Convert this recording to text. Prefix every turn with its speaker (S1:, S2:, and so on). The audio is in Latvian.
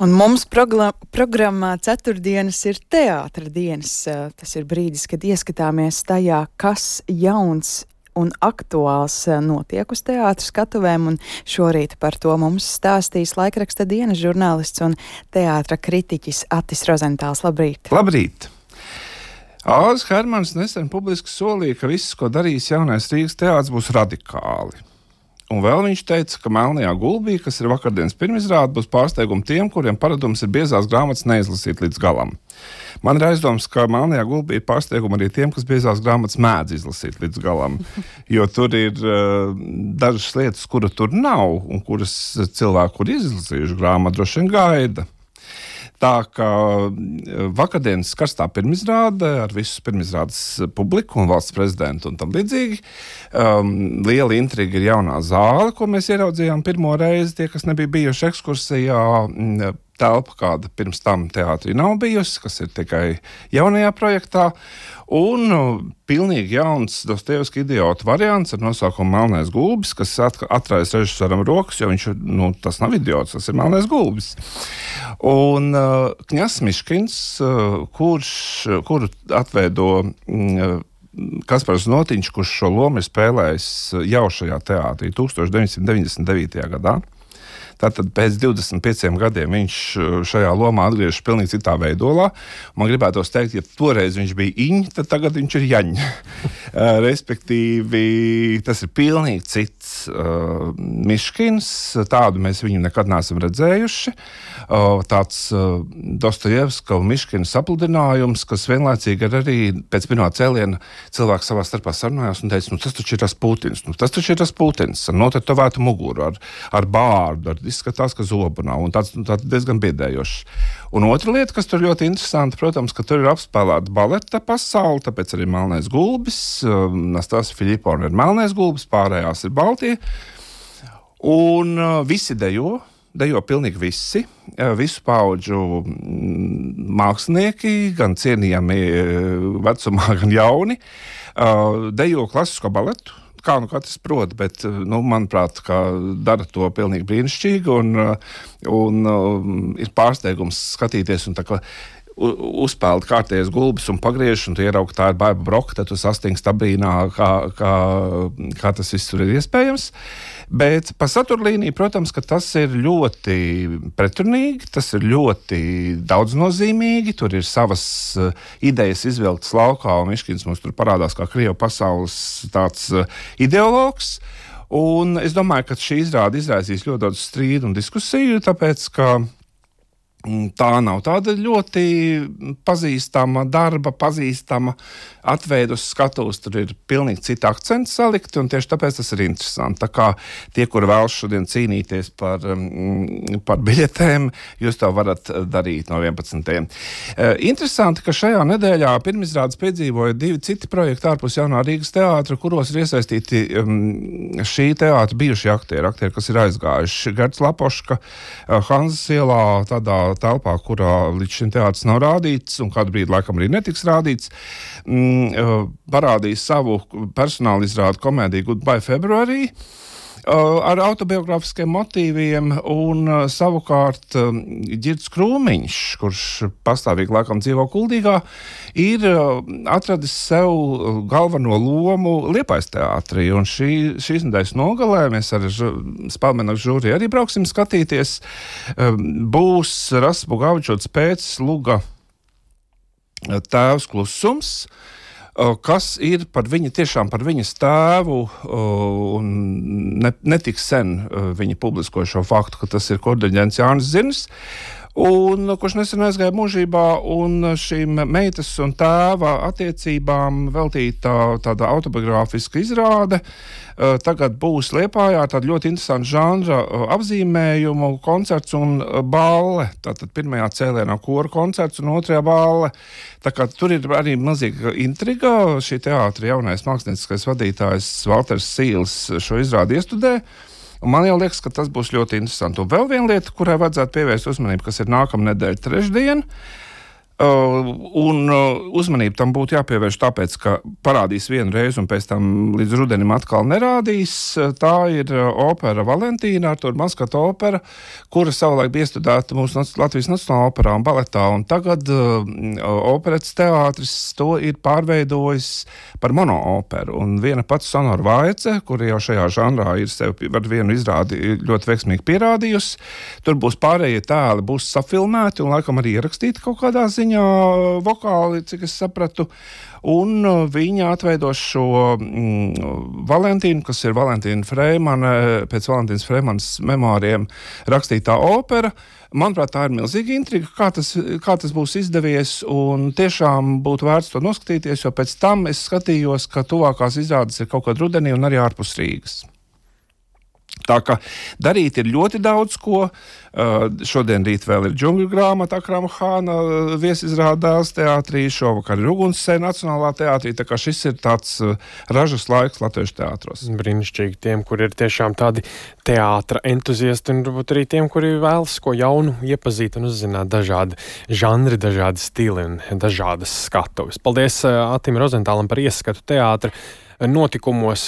S1: Un mums programmā ceturtdienas ir teātra dienas. Tas ir brīdis, kad ieskatāmies tajā, kas jauns un aktuāls notiek uz teātra skatuvēm, un šorīt par to mums stāstīs laikraksta dienas žurnālists un teātra kritiķis Atis Rozentāls. Labrīt!
S2: Labrīt! Āzis Hermans nesen publiski solīja, ka viss, ko darīs jaunais Rīgas teātris, būs radikāli. Un vēl viņš teica, ka Melnajā gulbī, kas ir vakardienas pirmizrāde, būs pārsteigumi tiem, kuriem paradums ir biezās grāmatas neizlasīt līdz galam. Man ir aizdoms, ka Melnajā gulbī ir pārsteigumi arī tiem, kas biezās grāmatas mēdz izlasīt līdz galam, jo tur ir dažas lietas, kura tur nav, un kuras cilvēki, kur izlasījuši grāmatu, droši vien gaida. Tā kā vakardienas karstā pirmizrāde ar visu pirmizrādes publiku un valsts prezidentu un tam līdzīgi. Liela intriga ir jaunā zāle, ko mēs ieraudzījām pirmo reizi. Tie, kas nebija bijuši ekskursijā, telpa, kāda pirms tam teātrī nav bijusi, kas ir tikai jaunajā projektā. Un pilnīgi jauns Dostojevska idiota variants ar nosaukumu Melnais gulbis, kas atraisa režisoram rokas, jo viņš, tas nav idiots, tas ir Melnais gulbis. Un Kņazs Miškins, kuru atveido Kaspars Notiņš, kurš šo lomu ir spēlējis jau šajā teātrī 1999. gadā. Tātad pēc 25 gadiem viņš šajā lomā atgriežas pilnīgi citā veidolā. Man gribētos teikt, ja toreiz viņš bija Iņ, tad tagad viņš ir Jaņ. Respektīvi, tas ir pilnīgi cits Miškins. Tādu mēs viņu nekad neesam redzējuši. Tāds Dostojevska un Miškina sapludinājums, kas vienlaicīgi ir arī pēc pirmā cēliena cilvēki savā starpā sarunājās un teica, tas taču ir tas Putins, ar notetovētu muguru, ar bārdu, izskatās, ka zobu nav, un tāds diezgan biedējošs. Un otra lieta, kas tur ļoti interesanti, protams, ka tur ir apspēlēta baleta pasaule, tāpēc arī Melnais gulbis, Nastasija Filipovna ir Melnais gulbis, pārējās ir Baltie, un visi dejo pilnīgi visi, visu paudžu mākslinieki, gan cienījami vecumā, gan jauni, dejo klasisko baletu. Kā katrs prot, bet, manuprāt, dara to pilnīgi brīnišķīgi un ir pārsteigums skatīties un tā kā uzpeld kārtējais gulbis un pagriež, un tu ieraugi, tā ir Baiba Broka, tad tu sastingst abrīnā, kā tas viss tur ir iespējams. Bet pa saturlīniju, protams, ka tas ir ļoti pretrunīgi, tas ir ļoti daudznozīmīgi, tur ir savas idejas izvilktas laukā, un Miškins mums tur parādās kā Krievu pasaules tāds ideologs. Un es domāju, ka šī izrāde izraisīs ļoti daudz strīdu un diskusiju, tāpēc, ka tā nav tāda ļoti pazīstama darba, pazīstama atveida uz skatuves. Tur ir pilnīgi citi akcenti salikti, un tieši tāpēc tas ir interesanti. Tā kā tie, kuri vēlas šodien cīnīties par biļetēm, jūs to varat darīt no 11. Interesanti, ka šajā nedēļā pirmizrādes piedzīvoja 2 citi projekti ārpus jaunā Rīgas teātra, kuros ir iesaistīti šī teātra bijušie aktieri, kas ir aizgājuši. Gerts Lapoška, Hanzas ielā, tādā telpā, kurā līdz šim teātris nav rādīts, un kādu brīdi laikam arī netiks rādīts, parādīja savu personāla izrādu komēdiju Goodbye February ar autobiogrāfiskiem motīviem, un savukārt Ģirds Krūmiņš, kurš pastāvīgi laikam dzīvo Kuldīgā, ir atradis sev galveno lomu Liepājas teātrī, un šīs nedēļas nogalē mēs ar Spēlmenaku žūriju arī brauksim skatīties. Būs Rasas Bugāvičotas pēc Luga Tēvs klusums, kas ir tiešām par viņas tēvu, un netik sen viņa publiskoja šo faktu, ka tas ir kordeģents Jānis Zirnis, un kurš nesen aizgāja mūžībā, un šīm meitas un tēva attiecībām veltīta tāda autobiogrāfiska izrāde. Tagad būs Liepājā tāda ļoti interesanta žanra apzīmējumu koncerts un balle. Tātad pirmajā cēlienā kora koncerts un otrajā balle. Tā kā tur ir arī milzīga intriga. Šī teātra jaunais mākslinieckais vadītājs Valters Sīls šo izrādi iestudē. Un man jau liekas, ka tas būs ļoti interesanti. Un vēl viena lieta, kurai vajadzētu pievērst uzmanību, kas ir nākamā nedēļa trešdien. Un uzmanību tam būtu jāpievērš tāpēc, ka parādīs vienu reizi un pēc tam līdz rudenim atkal nerādīs. Tā ir opera Valentīna, Artūra Maskata opera, kura savulaik bija iestudēta mūsu Latvijas Nacionālā operā un baletā. Un tagad operetes teātris to ir pārveidojis par monooperu. Un viena pati Sonora Vaice, kura jau šajā žanrā ir sevi ar vienu izrādi ļoti veiksmīgi pierādījusi, tur būs pārējie tēli, būs safilmēti un laikam arī ierakstīti kaut kādā ziņā vokāli, cik es sapratu, un viņa atveidos šo Valentīnu, kas ir Valentīna Freimana, pēc Valentīnas Freimanas memāriem rakstītā opera. Manuprāt, tā ir milzīga intriga, kā tas būs izdevies, un tiešām būtu vērts to noskatīties, jo pēc tam es skatījos, ka tuvākās izrādes ir kaut kad rudenī un arī ārpus Rīgas. Tā kā darīt ir ļoti daudz ko. Šodien rīt vēl ir Džungļu grāmata Akrama Hāna viesizrādās teātrī, šovakar ir Ugunsseja Nacionālā teātrī, tā kā šis ir tāds ražas laiks latviešu teātros.
S3: Brīnišķīgi tiem, kur ir tiešām tādi teātra entuziasti, un varbūt arī tiem, kuri vēlas ko jaunu iepazīt un uzzināt dažādi žanri, dažādi stili un dažādas skatuves. Paldies Atim Rozentālam par ieskatu teātra notikumos